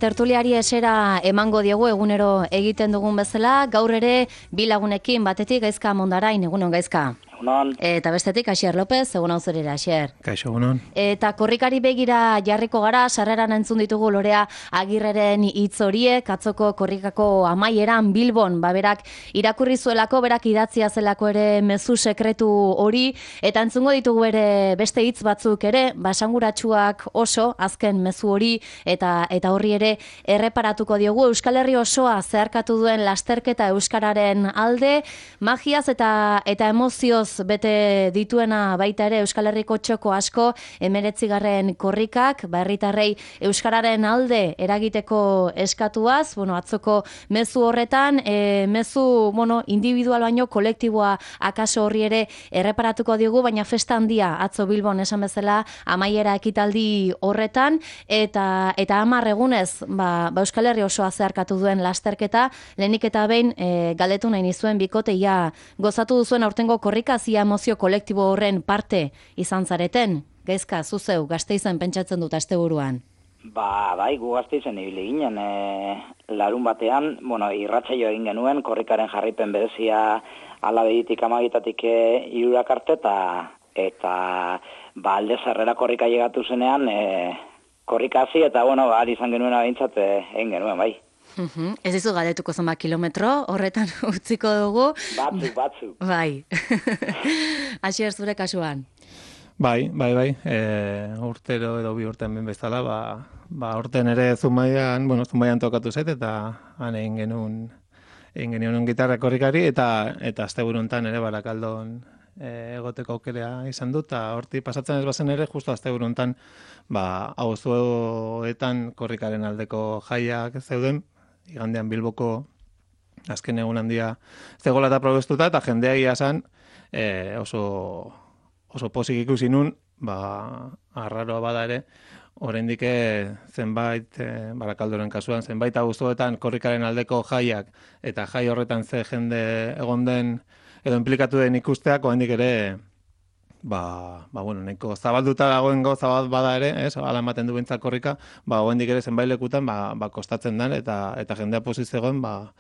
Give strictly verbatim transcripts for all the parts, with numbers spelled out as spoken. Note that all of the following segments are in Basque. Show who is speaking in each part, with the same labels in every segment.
Speaker 1: Tertuliari esera emango diegu egunero egiten dugun bezala, gaur ere bi lagunekin batetik Gaizka Mondarain, egunon Gaizka.
Speaker 2: Egunon.
Speaker 1: Eta bestetik Asier López, egunon zurera Asier.
Speaker 3: Kaixo, egunon.
Speaker 1: Eta korrikari begira jarriko gara, sarreran entzun ditugu Lorea Agirreren hitz horiek, atzoko korrikako amaieran Bilbon, baberak irakurri zuelako, berak idatzia zelako ere mezu sekretu hori, eta entzungo ditugu ere beste hitz batzuk ere, basanguratsuak oso, azken mezu hori, eta eta horri ere erreparatuko diogu. Euskal Herri osoa zeharkatu duen lasterketa euskararen alde, magiaz eta eta emozioz bete dituena baita ere Euskal Herriko txoko asko, hemeretzigarren korrikak, herritarrei euskararen alde eragiteko eskatuaz, bueno, atzoko mezu horretan, e, mezu, bueno, individual baino kolektiboa akaso horri ere erreparatuko diogu, baina festa handia atzo Bilbon esan bezala amaiera ekitaldi horretan, eta eta hamar egunez, ba, ba Euskal Herri osoa zeharkatu duen lasterketa, lehenik eta behin e, galdetu nahi nizuen bikoteia gozatu duzuen aurtengo korrika, zia emozio kolektibo horren parte izan zareten. Gaizka, zuzeu, Gasteizen pentsatzen dut asteburuan.
Speaker 2: Ba, bai, gu Gasteizen ibili ginen, e, larun batean, bueno, irratsaio egin genuen, korrikaren jarripen berezia alabegitik amagitatik hirurak arte, eta eta ba, alde zarrera korrika llegatu zenean, e, korrika hasi, eta bueno, ba, izan genuen abintzat egin genuen, bai.
Speaker 1: Uhum. Ez dizu galdetuko zenba kilometro, horretan utziko dugu.
Speaker 2: Batzu, batzu.
Speaker 1: Bai. Asier, zure kasuan.
Speaker 3: Bai, bai, bai. E, urtero edo bi urtean ben bezala, ba, ba urten ere Zumaian, bueno, Zumaian tokatu zait, eta han egin genuen, egin genuen gitarra korrikari, eta eta asteburu hontan ere Barakaldon e, egoteko aukera izan dut, eta horti pasatzen ez bazen ere, justu asteburu hontan, ba, auzoetan korrikaren aldeko jaiak zeuden, igandean Bilboko azken egun handia zegoela eta probestuta, eta jendea ia esan e, oso, oso pozik ikusi nun, ba, arraroa bada ere, oraindik zenbait, e, Barakaldoren kasuan, zenbait auzoetan korrikaren aldeko jaiak, eta jai horretan ze jende egon den, edo implikatu den ikusteak, oraindik ere, ba, ba bueno, nahiko zabalduta dagoen gauza bat bada ere, ez, ala ematen du behintzat korrika, ba, oraindik ere zenbait lekutan, ba, ba kostatzen den, eta eta jendea pozik zegoen, ba,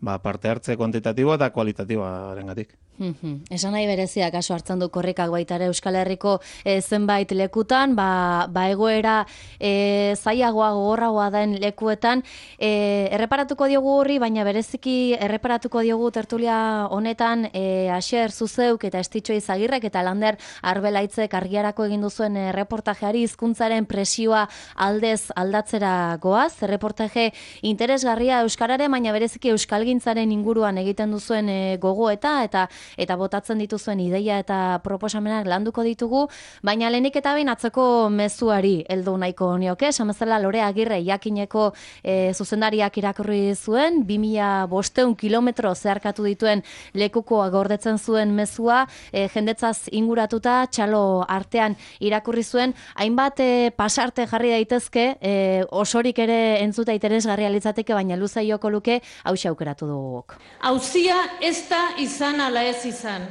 Speaker 3: ba parte hartze kuantitatiboa eta kualitatiboarengatik.
Speaker 1: Mm-hmm. Esan nahi berezia kaso hartzen du korrikak baita ere Euskal Herriko e, zenbait lekutan, ba, ba egoera e, zailagoa gogorragoa den lekuetan, e, erreparatuko diogu horri, baina bereziki erreparatuko diogu tertulia honetan e, Asier Zuzeuk eta Estitxo Izagirrek eta Lander Arbelaitzek argiarako egin duzuen e, reportajeari hizkuntzaren presioa aldez aldatzera goaz, reportaje interesgarria euskararen, baina bereziki euskalgintzaren inguruan egiten duzuen e, gogoeta eta eta botatzen dituzuen ideia eta proposamenak landuko ditugu, baina lehenik eta behin atzeko mezuari heldu nahiko nioke, esan bezala Lorea Agirre jakineko e, zuzendariak irakurri zuen, bi mila bostehun kilometro zeharkatu dituen lekukoa gordetzen zuen mezua, e, jendetzaz inguratuta, txalo artean irakurri zuen, hainbat e, pasarte jarri daitezke, e, osorik ere entzuta interesgarria litzateke, baina luza joko luke, hauxe aukeratu duguk.
Speaker 4: Auzia ez da izan ala ez izan.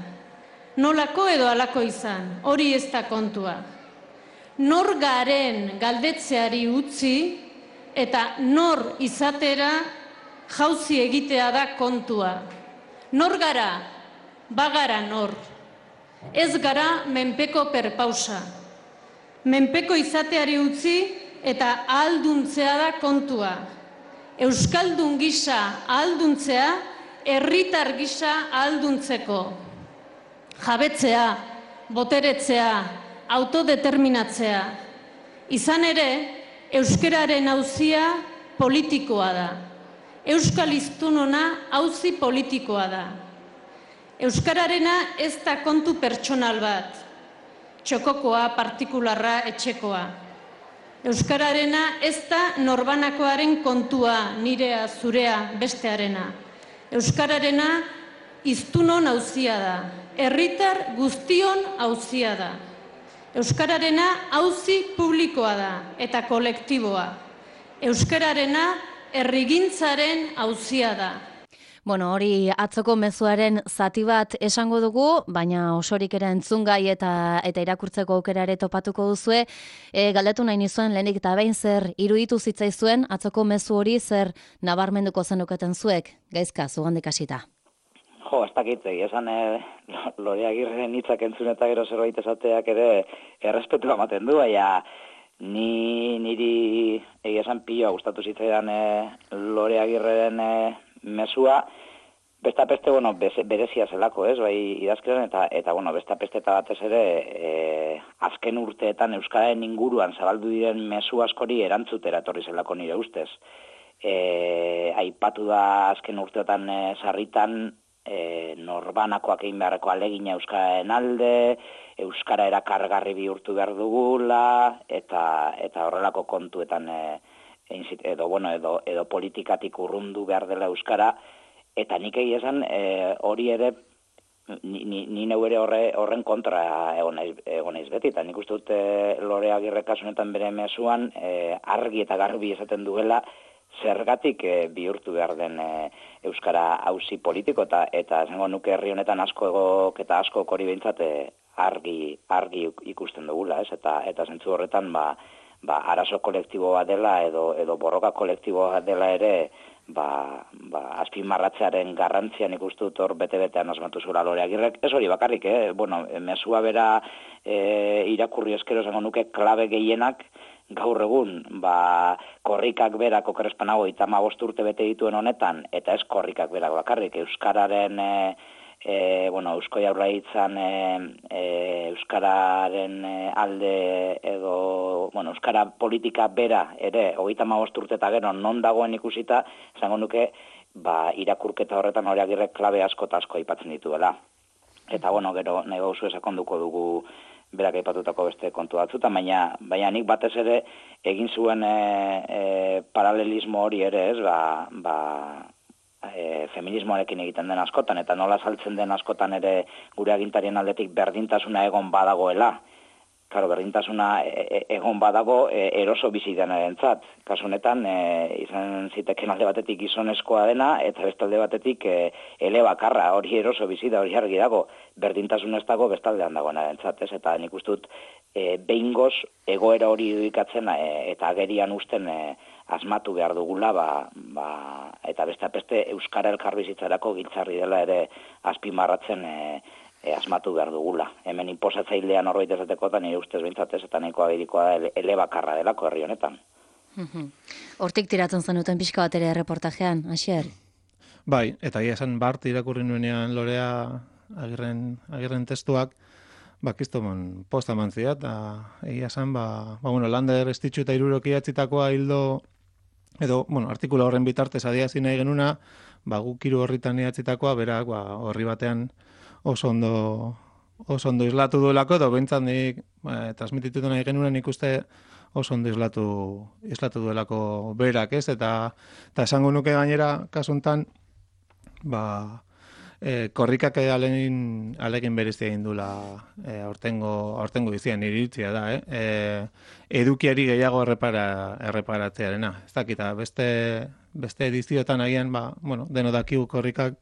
Speaker 4: Nolako edo alako izan, hori ez da kontua. Nor garen galdetzeari utzi eta nor izatera jauzi egitea da kontua. Nor gara, bagara nor. Ez gara menpeko perpausa. Menpeko izateari utzi eta ahalduntzea da kontua. Euskaldun gisa ahalduntzea, herritar gisa ahalduntzeko. Jabetzea, boteretzea, autodeterminatzea. Izan ere, euskararen auzia politikoa da. Euskal hiztunona auzi politikoa da. Euskararena ez da kontu pertsonal bat. Txokokoa, partikularra, etxekoa. Euskararena ez da norbanakoaren kontua, nirea, zurea, bestearena. Euskararena hiztunon auzia da. Herritar guztion auzia da. Euskararena auzi publikoa da eta kolektiboa. Euskararena herrigintzaren auzia da.
Speaker 1: Bueno, hori atzoko mezuaren zati bat esango dugu, baina osorik ere entzungai eta eta irakurtzeko aukera ere topatuko duzue. E, galdetu nahi nizuen lehenik eta behin zer iruditu zitzaizuen atzoko mezu hori zer nabarmenduko zenuketen zuek, Gaizka, zugandik hasita.
Speaker 2: Jo, ez dakit, esan e, Lore Agirreren hitzak entzun eta gero zerbait esateak ere errespetua ematen du, baina ni niri egia esan pilo gustatu zitzaidan e, Lore Agirreren e, mesua, besta peste, bueno, berezia zelako, ez, bai idazkeran, eta, eta bueno, besta peste eta batez ere, e, azken urteetan Euskararen inguruan zabaldu diren mesu askori erantzutera etorri zelako nire ustez. E, aipatu da azken urteetan e, sarritan, e, norbanakoak egin beharreko alegina Euskararen alde, Euskara erakargarri bihurtu behar dugula, eta, eta horrelako kontuetan e, edo, bueno, edo, edo politikatik urrundu behar dela Euskara, eta nik egia esan e, hori ere, ni, ni, ni neu ere horre, horren kontra egon naiz, egon naiz beti, eta nik uste dut e, Lore Agirre kasunetan bere mezuan e, argi eta garbi esaten duela zergatik e, bihurtu behar den e, Euskara auzi politiko, eta, eta esango nuke herri honetan asko egok eta asko hori behintzat e, argi, argi ikusten dugula, ez? Eta, eta zentzu horretan, ba, ba, arazo kolektibo bat dela edo, edo borroka kolektibo bat dela ere, ba, ba, azpimarratzearen garrantzian ikustut hor bete-betean asmatu zura Lore Agirrek. Ez hori bakarrik, eh? Bueno, mesua bera e, irakurri eskero zango nuke klabe gehienak gaur egun, ba, korrikak berak okerrespanago itama urte bete dituen honetan, eta ez korrikak berak bakarrik, Euskararen... E, E, bueno, Eusko Jaurlaritzan e, e, Euskararen alde edo, bueno, Euskara politika bera ere, hogeita hamabost urte eta gero non dagoen ikusita, esango nuke, ba, irakurketa horretan Lore Agirrek klabe asko eta asko aipatzen dituela. Eta, bueno, gero nahi gauzu esakonduko dugu berak aipatutako beste kontu batzuta, baina, baina nik batez ere egin zuen e, e, paralelismo hori ere, ez, ba, ba E, feminismoarekin egiten den askotan, eta nola saltzen den askotan ere gure agintarien aldetik berdintasuna egon badagoela. Claro, berdintasuna e, egon badago e, eroso bizi denarentzat. Kasu honetan e, izan ziteken alde batetik gizonezkoa dena, eta beste alde batetik e, elebakarra, hori eroso bizi da, hori argi dago, berdintasun ez dago bestaldean dagoenarentzat, ez? Eta nik uste dut e, behingoz egoera hori irudikatzen e, eta agerian usten e, asmatu behar dugula, ba, ba, eta beste beste Euskara elkarbizitzarako giltzarri dela ere azpimarratzen e, e, asmatu behar dugula. Hemen inposatzailean horbait esateko eta nire ustez behintzatez eta nahiko agirikoa elebakarra delako herri honetan.
Speaker 1: Hortik tiratzen zenuten pixka bat ere reportajean, Asier?
Speaker 3: Bai, eta ia esan bart irakurri nuenean Lorea agirren, agirren testuak, bakiztomon posta mantzia, eta egia esan, ba, ba bueno, Lander estitxu eta iruroki atzitakoa hildo, edo, bueno, artikula horren bitartez adiazi nahi genuna, ba, guk hiru horritan idatzitakoa, berak, ba, horri batean oso ondo, oso ondo islatu duelako, edo behintzat nik, ba, transmititu nahi genuna nik uste oso ondo islatu, islatu duelako berak, ez? Eta, eta esango nuke gainera, kasuntan, ba, E, korrikak alegin, alegin berezia egin dula e, aurtengo, aurtengo izian iritzia da, eh? E, edukiari gehiago errepara, erreparatzearena. Ez dakita, beste, beste edizioetan agian, ba, bueno, deno dakigu korrikak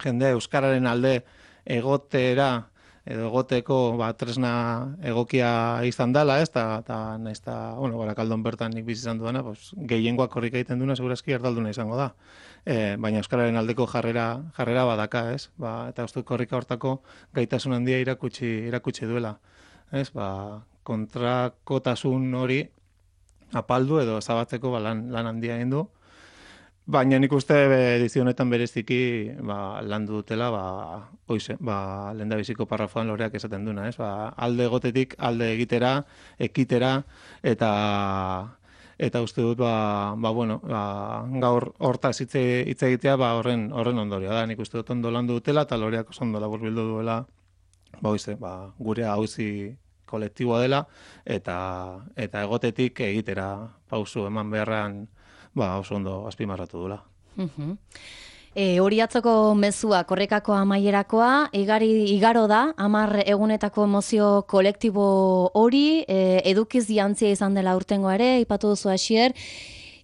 Speaker 3: jende Euskararen alde egotera edo egoteko ba, tresna egokia izan dela, ez? Ta, ta, naiz ta, bueno, Barakaldon bertan nik bizi izan duena, pues, gehiengoak korrika egiten duena, segurazki erdalduna izango da. E, baina Euskararen aldeko jarrera, jarrera badaka, ez? Ba, eta uste korrika hortako gaitasun handia irakutsi, irakutsi duela. Ez? Ba, kontrakotasun hori apaldu edo zabatzeko ba, lan, lan handia egin du. Baina nik uste edizio honetan bereziki ba, landu dutela, ba, oize, ba, lehendabiziko parrafoan Loreak esaten duna, ez? Ba, alde egotetik, alde egitera, ekitera, eta eta uste dut, ba, ba, bueno, ba, gaur hortaz hitz egitea ba, horren, horren ondorioa da. Nik uste dut ondo landu dutela, eta Loreak oso ondo laburbildu duela, ba, oize, ba, gure auzi kolektiboa dela, eta, eta egotetik egitera pausu eman beharrean, ba, oso ondo azpimarratu dula.
Speaker 1: Uh-huh. E, hori atzoko mezua, korrekako amaierakoa, igari, igaro da, hamar egunetako emozio kolektibo hori, e, edukiz jantzia izan dela urtengo ere, ipatu duzu Asier,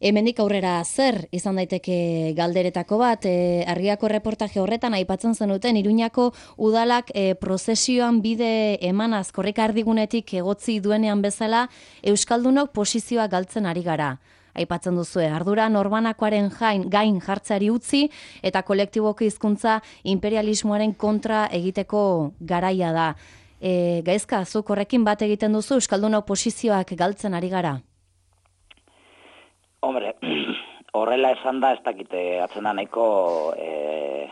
Speaker 1: Hemendik aurrera zer izan daiteke galderetako bat, e, Argiako reportaje horretan aipatzen zenuten Iruñako udalak e, prozesioan bide emanaz korrika erdigunetik egotzi duenean bezala euskaldunok posizioa galtzen ari gara. Aipatzen duzue, ardura norbanakoaren jain, gain jartzeari utzi eta kolektiboko hizkuntza imperialismoaren kontra egiteko garaia da. E, Gaizka, zuk horrekin bat egiten duzu euskaldunok posizioak galtzen ari gara?
Speaker 2: Hombre, horrela esan da, ez dakite atzena nahiko e,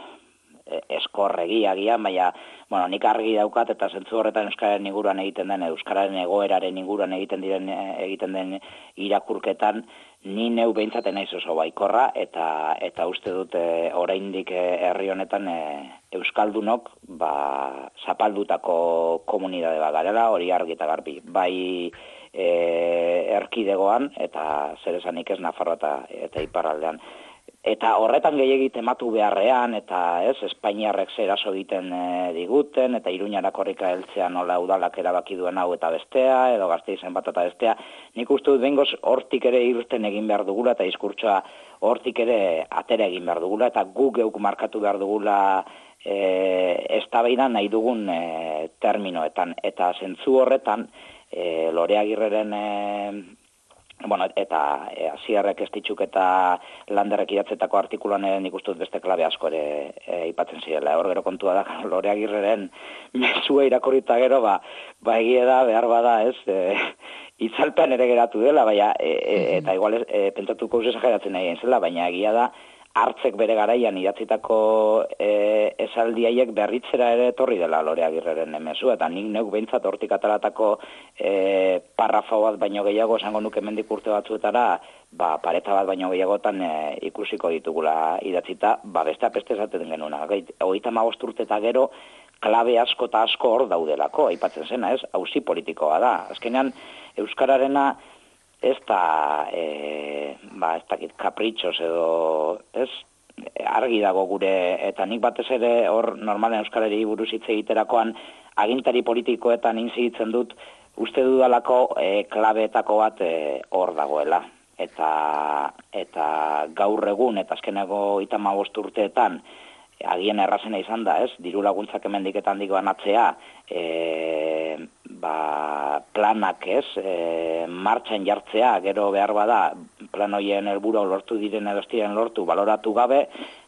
Speaker 2: eskorregiagia, baina, bueno, nik argi daukat eta zentzu horretan euskararen inguruan egiten den, euskararen egoeraren inguruan egiten diren egiten den irakurketan, ni neu beintzaten naiz oso baikorra eta eta uste dut e, oraindik herri honetan e, euskaldunok ba zapaldutako komunitate bat garela, hori argi eta garbi. Bai e, erkidegoan eta zer esanik ez Nafarroa eta, eta iparraldean. Eta horretan gehiegi tematu beharrean, eta ez, Espainiarrek zeraso egiten e, diguten, eta Iruñara korrika heltzea nola udalak erabaki duen hau eta bestea, edo Gasteizen bat eta bestea, nik uste dut behingoz hortik ere irten egin behar dugula, eta diskurtsoa hortik ere atera egin behar dugula, eta gu geuk markatu behar dugula e, eztabaida nahi dugun e, terminoetan. Eta zentzu horretan, e, Lore Agirreren... E, Bueno, eta e, Asierrek Estitzuk eta Landerrek idatzetako artikuluan ere nik uste dut beste klabe asko ere e, ipatzen zirela. Hor gero kontua da, Lore Agirreren mezua irakurrita gero, ba, ba egia da, behar bada, ez, e, itzalpean ere geratu dela, baina, e, e, eta igual ez, e, pentsatukouz esageratzen nahi zela, baina egia da, hartzek bere garaian idatzitako e, esaldi haiek berritzera ere etorri dela Lore Agirreren mezua, eta nik neuk behintzat hortik ataratako e, parrafo bat baino gehiago esango nuke hemendik urte batzuetara, ba, pareta bat baino gehiagotan e, ikusiko ditugula idatzita, ba, beste apeste esaten genuna. Hogeita hamabost urte eta gero, klabe asko eta asko hor daudelako, aipatzen zena, ez? Auzi politikoa da. Azkenean, euskararena ez da, e, ba, ez dakit, kapritxos edo, ez, argi dago gure, eta nik batez ere hor normalen euskarari buruz hitz egiterakoan agintari politikoetan inziditzen dut, uste dudalako e, klabeetako bat e, hor dagoela. Eta, eta gaur egun, eta azkeneko hogeita hamabost urteetan, agian errazena izan da, ez, diru laguntzak hemendik eta handik banatzea, e, ba, planak, ez, e, martxan jartzea, gero behar bada, plan hoien helburua lortu diren edo ez diren lortu, baloratu gabe,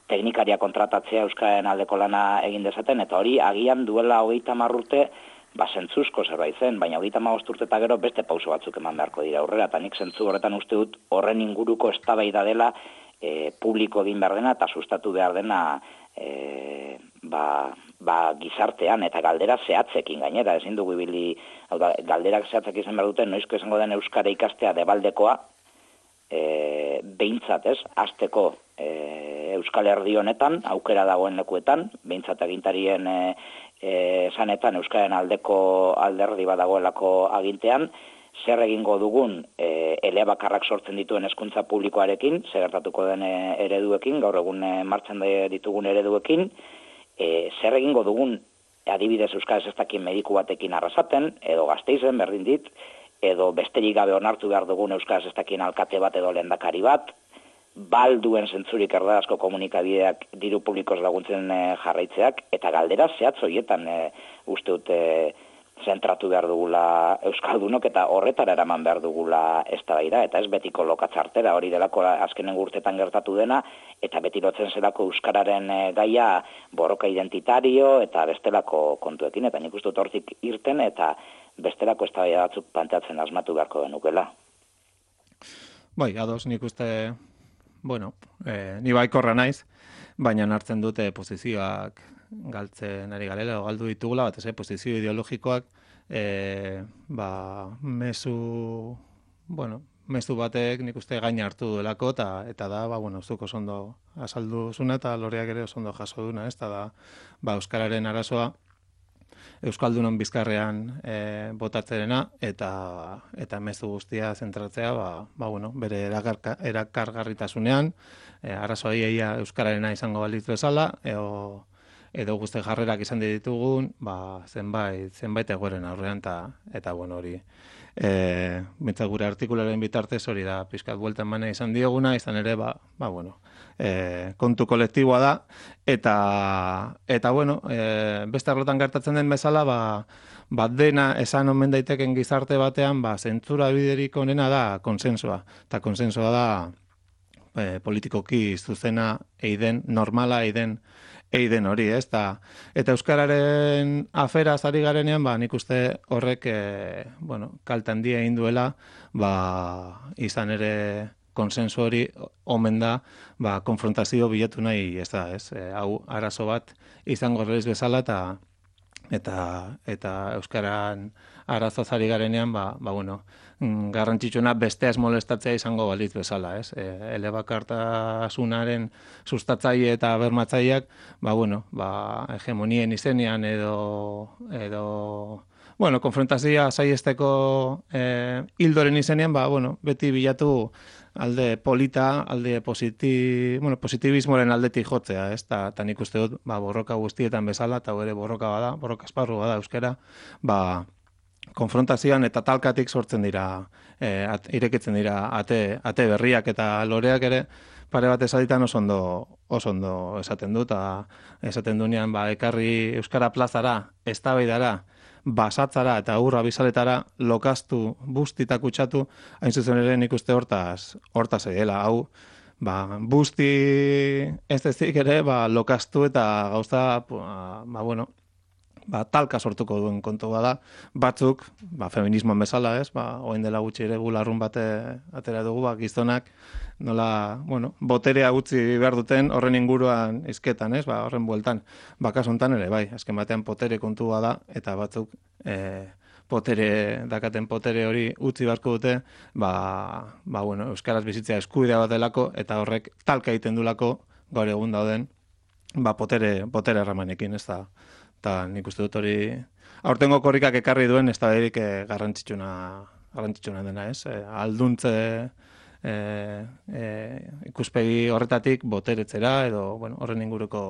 Speaker 2: teknikaria kontratatzea euskararen aldeko lana egin dezaten, eta hori agian duela hogeita hamar urte, ba, zentzuzko zerbait zen, baina hogeita hamabost urte eta gero beste pauso batzuk eman beharko dira aurrera, eta nik zentzu horretan uste dut horren inguruko eztabaida dela e, publiko egin behar dena eta sustatu behar dena E, ba, ba, gizartean eta galdera zehatzekin gainera, ezin dugu ibili, hau da, galderak zehatzek izan behar duten, noizko izango den euskara ikastea debaldekoa, e, behintzat, ez, hasteko e, Euskal Herri honetan, aukera dagoen lekuetan, behintzat agintarien e, e, esanetan euskaren aldeko alderdi badagoelako agintean, zer egingo dugun e, elebakarrak sortzen dituen hezkuntza publikoarekin, zer gertatuko den e, ereduekin, gaur egun e, martxan ditugun ereduekin, e, zer egingo dugun adibidez euskaraz ez dakien mediku batekin arrasaten, edo Gasteizen berdin dit, edo besterik gabe onartu behar dugun euskaraz ez dakien alkate bat edo lehendakari bat, balduen zentzurik erdarazko komunikabideak diru publikoz laguntzen e, jarraitzeak, eta galdera zehatz horietan e, uste dute zentratu behar dugula euskaldunok eta horretara eraman behar dugula eztabaida, eta ez betiko lokatzartera, hori delako azkenen urtetan gertatu dena, eta beti lotzen zelako euskararen gaia borroka identitario eta bestelako kontuekin, eta nik uste dut hortik irten eta bestelako eztabaida batzuk planteatzen asmatu beharko denukela.
Speaker 3: Bai, ados, nik uste, bueno, eh, ni baikorra naiz, baina hartzen dute posizioak galtzen ari garela, o galdu ditugula, bat ez, posizio ideologikoak, e, ba, mezu, bueno, mezu batek nik uste gaina hartu duelako, eta, eta da, ba, bueno, zuko ondo azaldu zuna, eta Loreak ere oso ondo jaso duna, ez, eta da, ba, euskararen arazoa, euskaldunon bizkarrean e, botatzerena, eta, eta mezu guztia zentratzea, ba, ba, bueno, bere erakarka, erakargarritasunean, e, arazoa iaia euskararena izango balitz bezala, edo, edo guzti jarrerak izan ditugun, ba, zenbait, zenbait egoeren aurrean, eta, eta bueno, hori e, bintzat gure artikularen bitartez hori da, pizkat bueltan mane izan dioguna, izan ere, ba, ba bueno, e, kontu kolektiboa da, eta, eta bueno, e, beste arlotan gertatzen den bezala, ba, bat dena esan omen daiteken gizarte batean, ba, zentzura biderik onena da konsensua, eta konsensua da e, politikoki zuzena eiden, normala eiden, eiden hori, ez? Ta, eta euskararen afera ari garenean, ba, nik uste horrek, e, bueno, kalte handia egin duela, ba, izan ere konsensu hori omen da, ba, konfrontazio bilatu nahi, ez da, ez? E, hau arazo bat izango reiz bezala, eta eta eta euskaran arazoz ari garenean, ba, ba bueno, garrantzitsuena besteaz molestatzea izango balitz bezala, ez? E, elebakartasunaren sustatzaile eta bermatzaileak, ba bueno, ba hegemonien izenean edo edo bueno, konfrontazioa saiesteko eh hildoren izenean, ba bueno, beti bilatu alde polita, alde positi, bueno, positibismoren aldetik jotzea, ez? Ta, ta nik uste dut, ba, borroka guztietan bezala, eta ere borroka bada, borroka esparru bada euskara, ba, konfrontazioan eta talkatik sortzen dira, e, at, irekitzen dira ate, ate berriak eta loreak ere, pare bat esaditan oso ondo, oso ondo esaten dut, eta esaten dunean, ba, ekarri euskara plazara, eztabaidara, basatzara eta urra bizaletara lokaztu, busti eta kutsatu, hain zuzen ere nik uste hortaz, hortaz edela, hau, ba, busti ez ezik ere, ba, lokaztu eta gauza, ba, bueno, ba, talka sortuko duen kontu bada, batzuk, ba, feminismoan bezala, ez, ba, oen dela gutxi ere gularrun bate atera dugu, ba, gizonak, nola, bueno, boterea utzi behar duten horren inguruan izketan, ez, ba, horren bueltan, bakas hontan ere, bai, azken batean potere kontu bada, eta batzuk, e, potere, dakaten potere hori utzi beharko dute, ba, ba, bueno, euskaraz bizitzea eskubidea bat delako, eta horrek talka egiten dulako, gaur egun dauden, ba, potere, potere erramanekin, ez da, eta nik uste dut hori, aurtengo korrikak ekarri duen, ez da berik e, garrantzitsuna, garrantzitsuna dena, ez, e, alduntze, e, e, ikuspegi horretatik boteretzera, edo, bueno, horren inguruko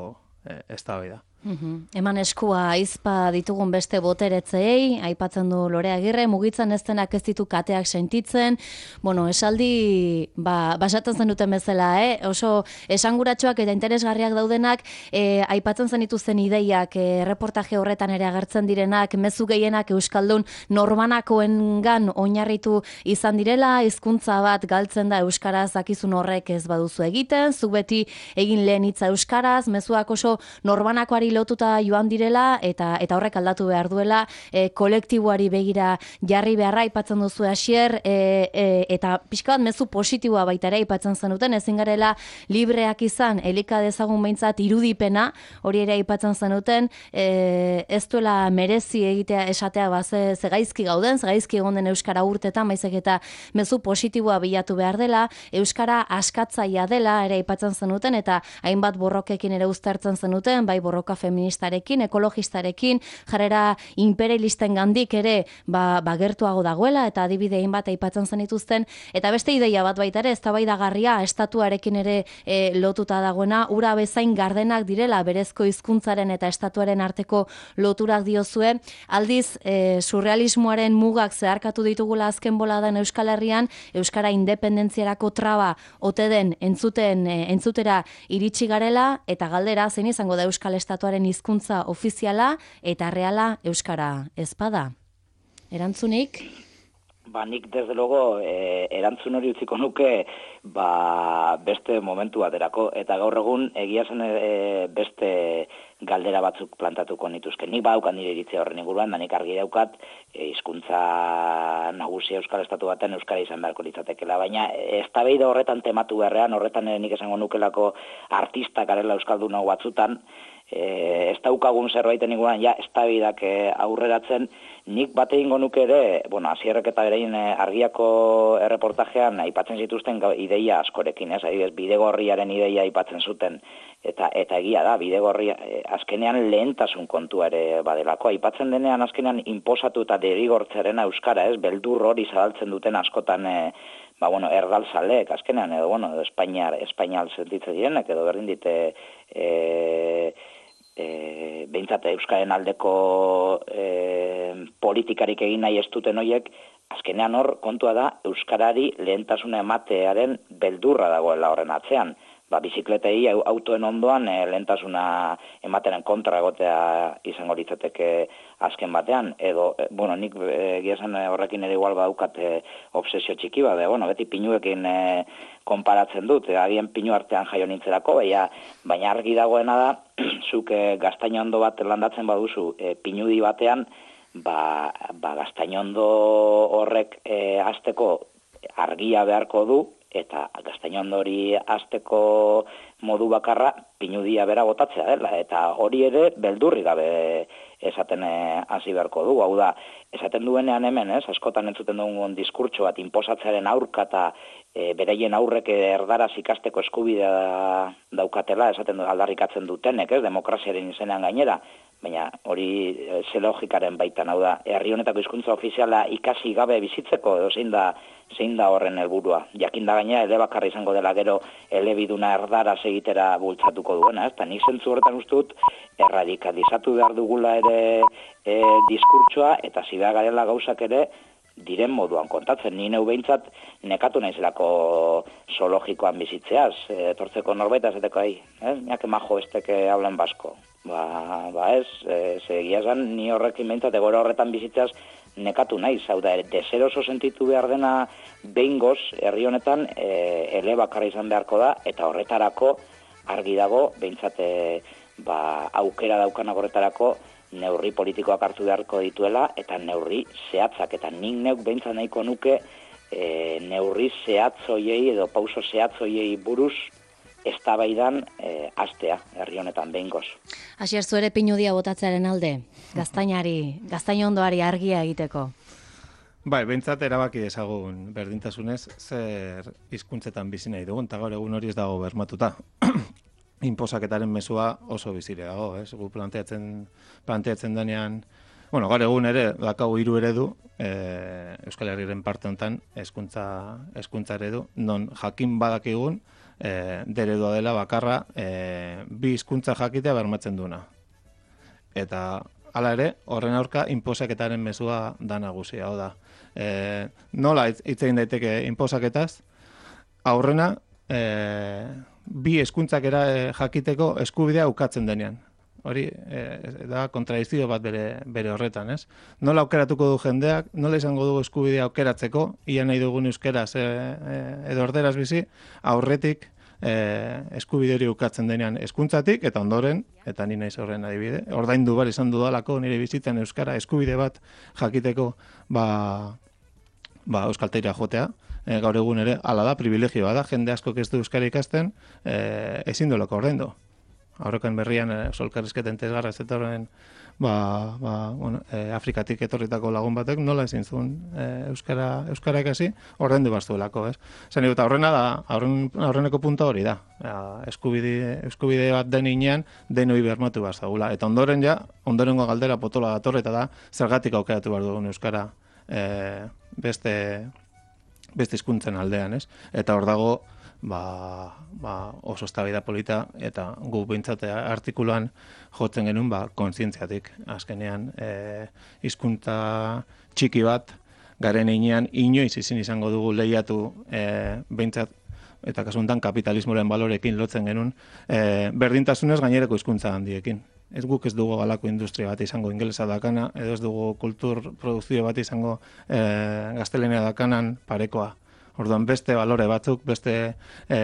Speaker 3: e, eztabaida.
Speaker 1: Uhum. Eman eskua aizpa ditugun beste boteretzei, aipatzen du Lore Agirre, mugitzen ez denak ez ditu kateak sentitzen, bueno, esaldi, ba, basatzen zen duten bezala, eh? Oso esanguratsuak eta interesgarriak daudenak, eh, aipatzen zen dituzten ideiak, eh, reportaje horretan ere agertzen direnak, mezu gehienak euskaldun norbanakoengan oinarritu izan direla, hizkuntza bat galtzen da euskaraz dakizun horrek ez baduzu egiten, zu beti egin lehen hitza euskaraz, mezuak oso norbanakoari lotuta joan direla eta eta horrek aldatu behar duela, e, kolektiboari begira jarri beharra aipatzen duzu hasier, e, e, eta pixka bat mezu positiboa baita ere aipatzen zenuten, ezin garela libreak izan, elika dezagun behintzat irudipena, hori ere aipatzen zenuten, e, ez duela merezi egitea esatea ba, ze, ze gaizki gauden, ze gaizki egon den euskara urtetan, baizik eta mezu positiboa bilatu behar dela, euskara askatzaia dela ere aipatzen zenuten, eta hainbat borrokekin ere uztartzen zenuten, bai borroka feministarekin, ekologistarekin, jarrera imperialisten gandik ere ba, ba gertuago dagoela, eta adibidein bat aipatzen zenituzten, eta beste ideia bat baita ere, eztabaidagarria estatuarekin ere e, lotuta dagoena, ura bezain gardenak direla, berezko hizkuntzaren eta estatuaren arteko loturak diozue, aldiz e, surrealismoaren mugak zeharkatu ditugula azken boladan Euskal Herrian, euskara independentziarako traba ote den entzuten, e, entzutera iritsi garela, eta galdera zein izango da Euskal Estatuaren hizkuntza ofiziala eta reala euskara ezpada. Erantzunik?
Speaker 2: Ba, nik desde logo e, erantzun hori utziko nuke ba, beste momentu baterako, eta gaur egun egia zen e, beste galdera batzuk plantatuko nituzke. Nik badaukan nire iritzia horren inguruan, da nik argi daukat hizkuntza e, nagusia Euskal Estatu baten euskara izan beharko litzatekela, baina eztabaida horretan tematu beharrean, horretan nik esango nukelako artistak garela euskaldun hau batzutan, E, ez daukagun zerbaiten inguruan, ja, eztabaidak e, aurreratzen, nik bate ingo nuke ere, bueno, Asierrek eta berein e, argiako erreportajean aipatzen zituzten ideia askorekin, ez, adibidez, bidegorriaren ideia aipatzen zuten, eta eta egia da, bidegorria, e, azkenean lehentasun kontua ere badelako, aipatzen denean azkenean inposatu eta derigortzaren euskara, ez, beldur hori zabaltzen duten askotan, e, ba, bueno, erdalzalek, azkenean, edo, bueno, edo Espainiar, Espainial sentitzen direnek, edo berdin dite, e, E, behintzat euskaren aldeko e, politikarik egin nahi ez duten horiek, azkenean hor kontua da euskarari lehentasuna ematearen beldurra dagoela horren atzean. Ba, bizikletei autoen ondoan e, lehentasuna ematen kontra egotea izango litzateke azken batean, edo, e, bueno, nik egia esan horrekin ere igual badaukat e, obsesio txiki bat, bueno, beti pinuekin e, konparatzen dut, e, agien pinu artean jaio nintzerako, baina, baina argi dagoena da, zuk e, gaztainondo bat landatzen baduzu e, pinudi batean, ba, ba gaztainondo horrek e, hasteko argia beharko du, eta gaztainondo hori hasteko modu bakarra pinudia bera botatzea dela, eta hori ere beldurri gabe esaten hasi beharko du, hau da, esaten duenean hemen, ez, askotan entzuten dugun diskurtso bat inposatzearen aurka eta e, bereien aurrek erdaraz ikasteko eskubidea daukatela, esaten du aldarrikatzen dutenek, ez, demokraziaren izenean gainera, baina hori ze logikaren baitan, hau da, herri honetako hizkuntza ofiziala ikasi gabe bizitzeko, edo zein da, zein da horren helburua. Jakin da gaina, elebakarra izango dela gero elebiduna erdaraz egitera bultzatuko duena, ez? Ta nik zentzu horretan uste dut, erradikalizatu behar dugula ere e, diskurtsoa, eta zibea garela gauzak ere diren moduan kontatzen. Ni neu behintzat nekatu naizelako zoologikoan bizitzeaz, etortzeko norbait azateko ahi, ez? Niak emajo esteke hablan basko. Ba, ba ez, e, segia esan, ni horrekin behintzat egora horretan bizitzaz nekatu naiz, hau da, deseroso sentitu behar dena behingoz, herri honetan, e, elebakarra izan beharko da, eta horretarako argi dago, behintzat, e, ba, aukera daukanak horretarako, neurri politikoak hartu beharko dituela, eta neurri zehatzak, eta nik neuk behintzat nahiko nuke, e, neurri zehatzoiei edo pauso zehatzoiei buruz, eztabaidan e, astea, herri honetan behingoz.
Speaker 1: Asier, zu ere pinudia botatzearen alde, gaztainari, gaztainondoari argia egiteko.
Speaker 3: Bai, behintzat erabaki ezagun berdintasunez, zer hizkuntzetan bizi nahi dugun, eta gaur egun hori ez dago bermatuta. Inposaketaren mezua oso bizire dago, ez? Gu planteatzen, planteatzen denean, bueno, gaur egun ere, dakau hiru eredu, e, Euskal Herriaren parte honetan, hezkuntza hezkuntza eredu, non jakin badakigun, E, deredua dela bakarra e, bi hizkuntza jakitea bermatzen duna. Eta hala ere, horren aurka inposaketaren mezua da nagusia, hau da. E, nola hitz egin daiteke inposaketaz? Aurrena, e, bi hizkuntzak era e, jakiteko eskubidea ukatzen denean. Hori e, da kontradizio bat bere, bere horretan, ez? Nola aukeratuko du jendeak, nola izango du eskubidea aukeratzeko, ia nahi dugun euskeraz e, e, edo orderaz bizi, aurretik e, eskubide hori ukatzen denean hezkuntzatik eta ondoren, eta ni naiz horren adibide, ordaindu bar izan dudalako nire bizitzen euskara eskubide bat jakiteko ba, ba euskaltegira jotea. E, gaur egun ere, hala da, privilegioa da, jende asko ez du euskara ikasten, e, ezin dolako ordaindu. Aurrekoen berrian, e, solkarrizketen tesgarra ez etorren, ba, ba, bueno, e, Afrikatik etorritako lagun batek, nola ezin zuen e, euskara, euskara ikasi, ordaindu bastuelako, ez? Zen eta horrena da, aurren, aurreneko punta hori da. E, eskubide, eskubide bat den inean, denoi bermatu bazagula. Eta ondoren ja, ondorengo galdera potola datorre, eta da, zergatik aukeratu behar dugun euskara e, beste, beste hizkuntzen aldean, ez? Eta hor dago, Ba, ba, oso eztabaida polita eta gu behintzat artikuluan jotzen genuen ba, kontzientziatik. Azkenean e, hizkuntza txiki bat garen heinean inoiz izin izango dugu lehiatu e, behintzat eta kasu honetan kapitalismoren balorekin lotzen genuen e, berdintasunez gainerako hizkuntza handiekin. Ez guk ez dugu galako industria bat izango ingelesa dakana, edo ez dugu kultur produkzio bat izango e, gaztelania dakanan parekoa. Orduan beste balore batzuk, beste, e,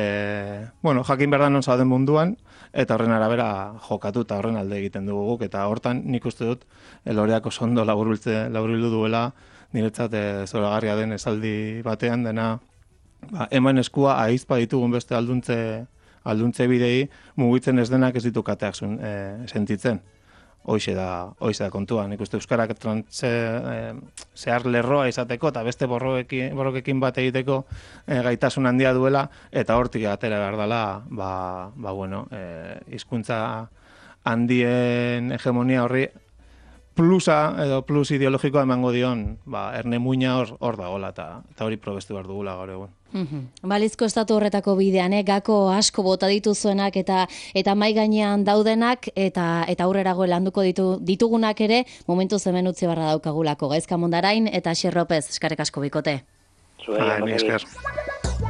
Speaker 3: bueno, jakin behar da non zauden munduan, eta horren arabera jokatu eta horren alde egiten dugu guk, eta hortan nik uste dut loreako sondo laburbildu duela, niretzat e, zoragarria den esaldi batean dena, ba, eman eskua ahizpa ditugun beste alduntze, alduntze bidei, mugitzen ez denak ez ditu kateak zun, e, sentitzen. Hoize da, hoize da kontua. Nik uste euskarak trantze, e, zehar lerroa izateko eta beste borrokekin, borrokekin bat egiteko e, gaitasun handia duela eta hortik atera behar dela, ba, ba bueno, e, hizkuntza handien hegemonia horri plusa edo plus ideologikoa emango dion, ba, erne muina hor, hor dagoela eta, eta hori probestu behar dugula gaur egun.
Speaker 1: Balizko estatu horretako bidean, eh? Gako asko bota dituzuenak eta eta mai gainean daudenak eta eta aurrerago landuko ditu, ditugunak ere momentu hemen utzi barra daukagulako. Gaizka Mondarain eta Xer Lopez, eskerrik asko bikote.
Speaker 2: Zuei,
Speaker 3: Ai, mi esker.